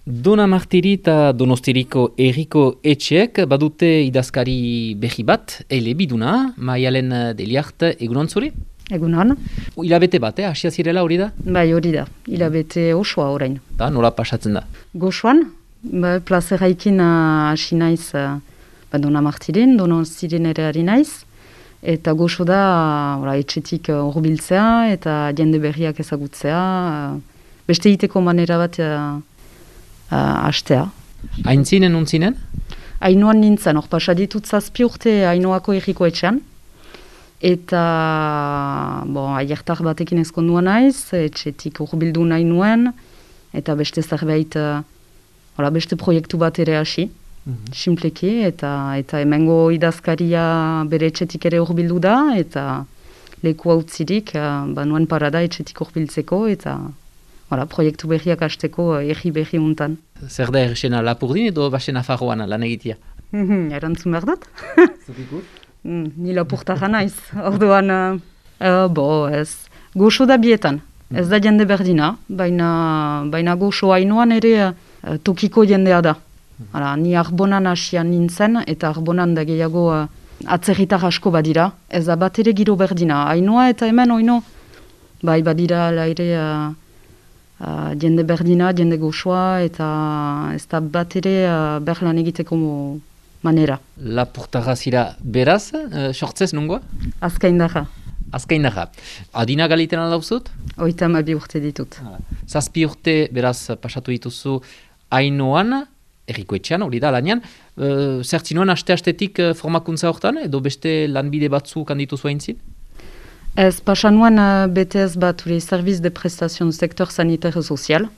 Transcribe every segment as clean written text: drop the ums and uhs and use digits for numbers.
Dona Martiri eta Donostiriko Herriko Etxeek badute idazkari berri bat, elebiduna, Maialen Deliart, egunon zuri? Egunon. Hilabete bat, hasia zirela hori da? Bai, hori da. Hilabete osoa orain. Da, nola pasatzen da? Gozoan, plazeraikin hasi naiz Dona Martirin, Donostirin ere ari naiz. Eta gozo da etxetik hurbiltzea eta jende berriak ezagutzea. Beste egiteko manera bat hastea. Aintzinen, untzinen? Ainoan nintzen, hor pasaditut 7 urte Ainoako Herriko Etxean. Eta, aiertar batekin ezkondua naiz, etxetik hurbildu nahi nuen, eta beste zerbait, beste proiektu bat ere hasi, simpleki, eta hemengo idazkaria bere etxetik ere hurbildu da, eta leku hautzirik, nuen parada etxetik hurbiltzeko, eta proiektu berriak hasteko erri berri untan. Zer da errexena Lapurdin edo basen Nafarroan lan egitea? Erantzun behar dut? Zupikur? Ni Lapurtarra naiz, orduan, ez. Goxo da bietan, ez da jende berdina, baina goxo Ainoan ere tokiko jendea da. Ni Arbonan hasian nintzen, eta Arbonan da gehiago atzerritar asko badira, ez da bat ere giro berdina. Ainoa eta hemen oino, badira ere jende berdina, jende goxoa, eta ez da bat ere berlan egiteko manera. Lapurtarra zira beraz, sortzez nungoa? Azkaindarra. Azkaindarra. Adina galiten aldauzut? 32 urte ditut. 7 urte beraz pasatu dituzu Ainoan, Herriko Etxean, hori da lanean. Zertzinoan aste-astetik formakuntza hortan, edo beste lanbide batzuk handituzu haintzin? Ez pasanuan BTS bat, Service de Prestation du Secteur Sanitaire et Social.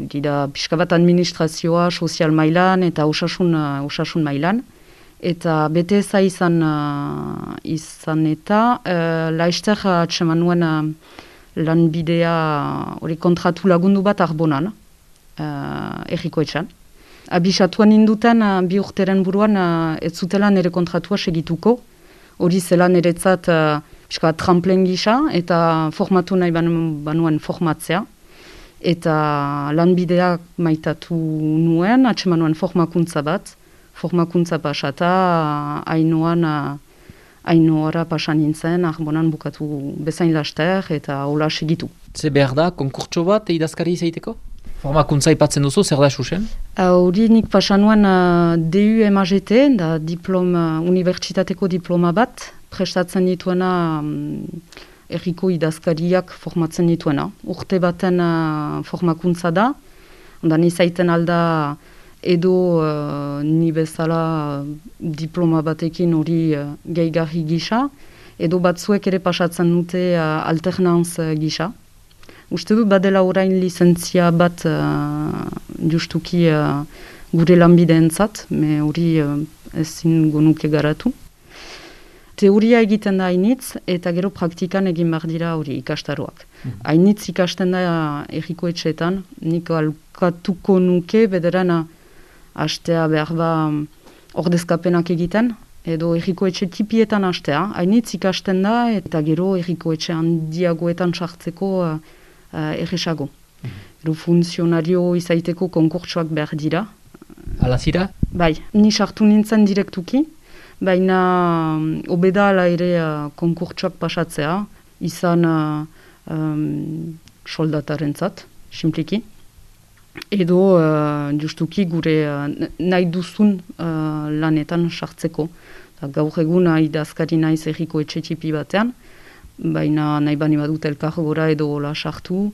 Dira pixka bat administrazioa, sozial mailan eta osasun mailan. Eta BTS-a izan eta laizter atseman nuen lanbidea kontratu lagundu bat Arbonan, Herriko Etxean. Abisatuan induten 2 urteren buruan ez zutela nire kontratua segituko. Hori zela niretzat tramplen gisa eta formatu nahi banuen formatzea. Eta lanbideak maitatu nuen, atseman nuen formakuntza bat. Formakuntza pasata Ainoara pasan nintzen, Arbonan bukatu bezain laster eta hola segitu. Ze behar da, konkurtso bat idazkari izaiteko? Formakuntza ipatzen duzu, zer da susen? Hori nik pasan nuen DU-MAGT, da unibertsitateko diploma bat, prestatzen dituena Herriko idazkariak formatzen dituena. Urte baten formakuntza da, ondan izaiten alda edo ni bezala diploma batekin hori gehigarri gisa, edo batzuek ere pasatzen dute alternanz gisa. Uste dut badela orain lizentzia bat justuki gure lanbideentzat, me hori ezin gonuke garatu. Teoria egiten da hainitz, eta gero praktikan egin behar dira hori ikastaroak. Hainitz ikasten da Herriko Etxeetan, nik alkatuko nuke bederan hastea behar ba ordezkapenak egiten, edo Herriko Etxe tipietan hastea. Hainitz ikasten da, eta gero Herriko Etxe handiagoetan sartzeko erresago. Gero funtzionario izaiteko konkurtsoak behar dira. Ala zira? Bai, ni sartu nintzen direktuki, baina obedala ere konkurtsoak pasatzea, izan soldatarentzat, simpliki. Edo justuki gure nahi duzun lanetan sartzeko. Gaur egun idazkari naiz Herriko Etxe tipi batean, baina nahi bani badut elkargora edo hola sartu,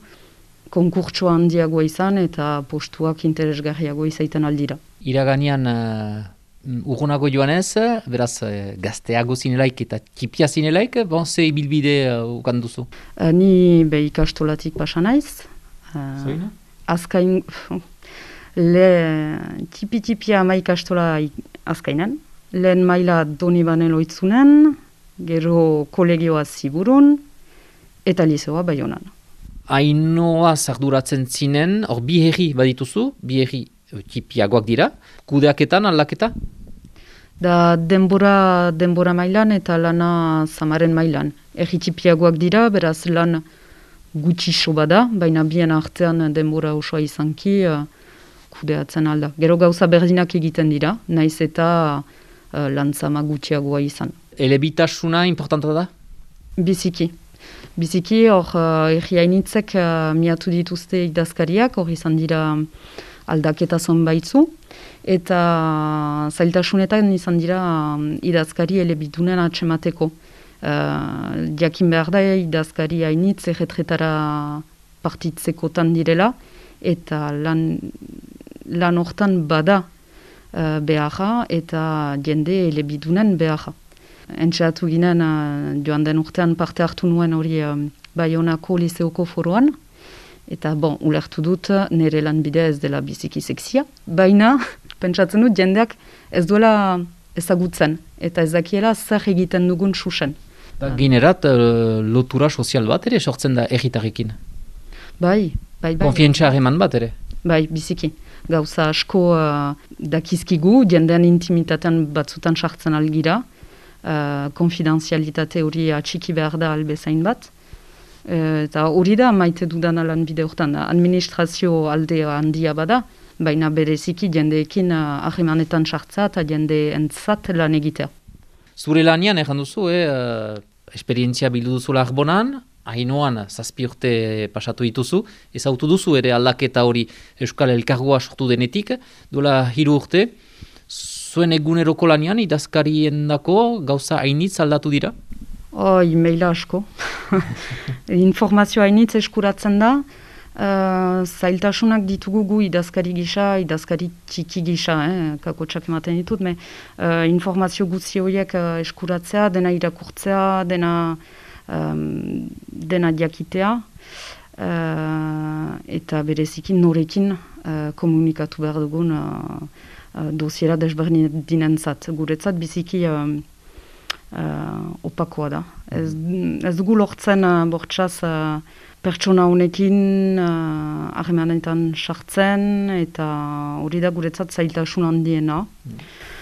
konkurtsoa handiagoa izan eta postuak interesgarriago izaiten aldira. Iraganean urgunago joanez, beraz gazteago zinelaik eta tipia zinelaik, ze ibilbide ukan duzu? Ni ikastolatik pasa naiz. Zoina? Azkain, tipi-tipia ama ikastola azkainan. Lehen maila Donibane loitzunen, gero kolegioa Ziburun, eta lizeoa Baionan. Ainoa zarduratzen zinen, hor bi herri badituzu, bi herri tipiagoak dira, kudeaketan, aldaketa? Da denbora mailan eta lana Samaren mailan. Herri tipiagoak dira, beraz lan gutxi soba da, baina bien artean denbora osoa izanki, kudeatzen alda. Gero gauza berdinak egiten dira, naiz eta lantzama gutxiagoa izan. Elebitasuna importanta da? Biziki. Biziki, hor, erriainitzek miatu dituzte idazkariak, hor izan dira aldaketa zonbaitzu, eta zailtasunetan izan dira idazkari elebidunen atxemateko. Jakin behar da idazkari hainitz erretretara partitzekotan direla, eta lan hortan bada beharra eta jende elebidunen beharra. Entxeatu ginen joan den urtean parte hartu nuen hori Baionako liseoko foroan, eta ulertu dut nire lanbidea ez dela biziki sexia, baina pentsatzen dut jendeak ez duela ezagutzen, eta ez dakiela zer egiten dugun susen. Ginerat lotura sozial bat ere sortzen da erritarrekin? Bai. Konfientza harreman bat ere? Bai, biziki. Gauza asko dakizkigu, jendean intimitatean batzutan sartzen algira, konfidenzialitate hori atxiki behar da albezain bat. Eta hori da maite dudan lan bide horretan. Administrazio aldea handia bada, baina bereziki jendeekin harremanetan sartza eta jende entzat lan egitea. Zure lanian erran duzu, esperientzia bildu duzula Arbonan, Ainoan 7 urte pasatu dituzu, ezautu duzu ere aldaketa hori Euskal Elkargoa sortu denetik, duela 3 urte, zuen eguneroko lanian idazkarien dako gauza hainitz aldatu dira? Maila asko. Informazio hainitz eskuratzen da, zailtasunak ditugu gu idazkari gisa, idazkari txiki gisa, kakotxak ematen ditut, informazio guzti horiek eskuratzea, dena irakurtzea, dena diakitea, eta bereziki norekin komunikatu behar dugun dosiera desberdinentzat. Guretzat biziki opakoa da. Ez dugu lortzen bortxaz pertsona honekin harremanetan sartzen, eta hori da guretzat zailtasun handiena.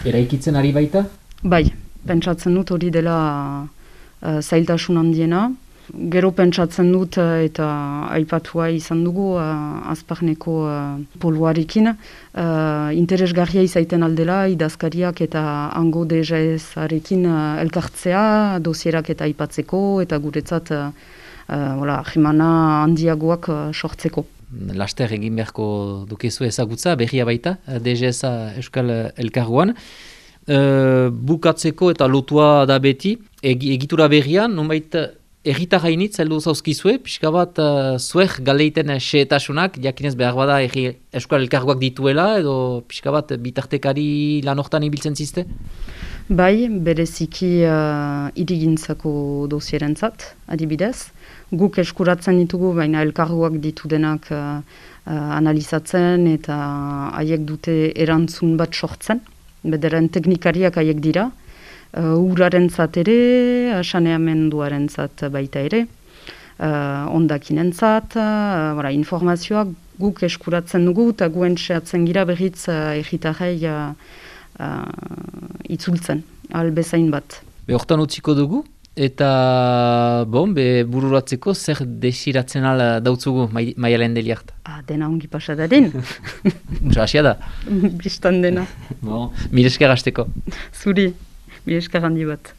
Eraikitzen ari baita? Bai, pentsatzen dut hori dela zailtasun handiena. Gero pentsatzen dut eta aipatua izan dugu Azparneko poluarekin. Interesgarria izaiten aldela idazkariak eta hango DGS-arekin elkartzea, dosierak eta aipatzeko eta guretzat jimana handiagoak sortzeko. Laster egin beharko dukezu ezagutza, berria baita, DGS Euskal Elkargoan. Bukatzeko eta lotua da beti, egitura berrian, nonbait erritar hainitz heldu zauzkizue, pixka bat zuek galeiten xehetasunak, jakinez behar bada Euskal Elkargoak dituela, edo pixka bat bitartekari lan hortan ibiltzen zizte? Bai, bereziki irigintzako dosierentzat, adibidez. Guk eskuratzen ditugu, baina elkargoak ditu denak analizatzen eta haiek dute erantzun bat sortzen. Bederen teknikariak haiek dira, uraren zat ere, saneamenduaren zat baita ere, ondakin entzat, informazioak guk eskuratzen dugu eta guen sehatzen gira berriz erritarrei itzultzen, albezain bat. Hortan utziko dugu, eta bururatzeko zer desiratzen ala dautzugu Maialen Deliart? Dena ongi pasadaren. Asia da? Bistan dena. Mire esker hasteko. Zuri, mire esker handi bat.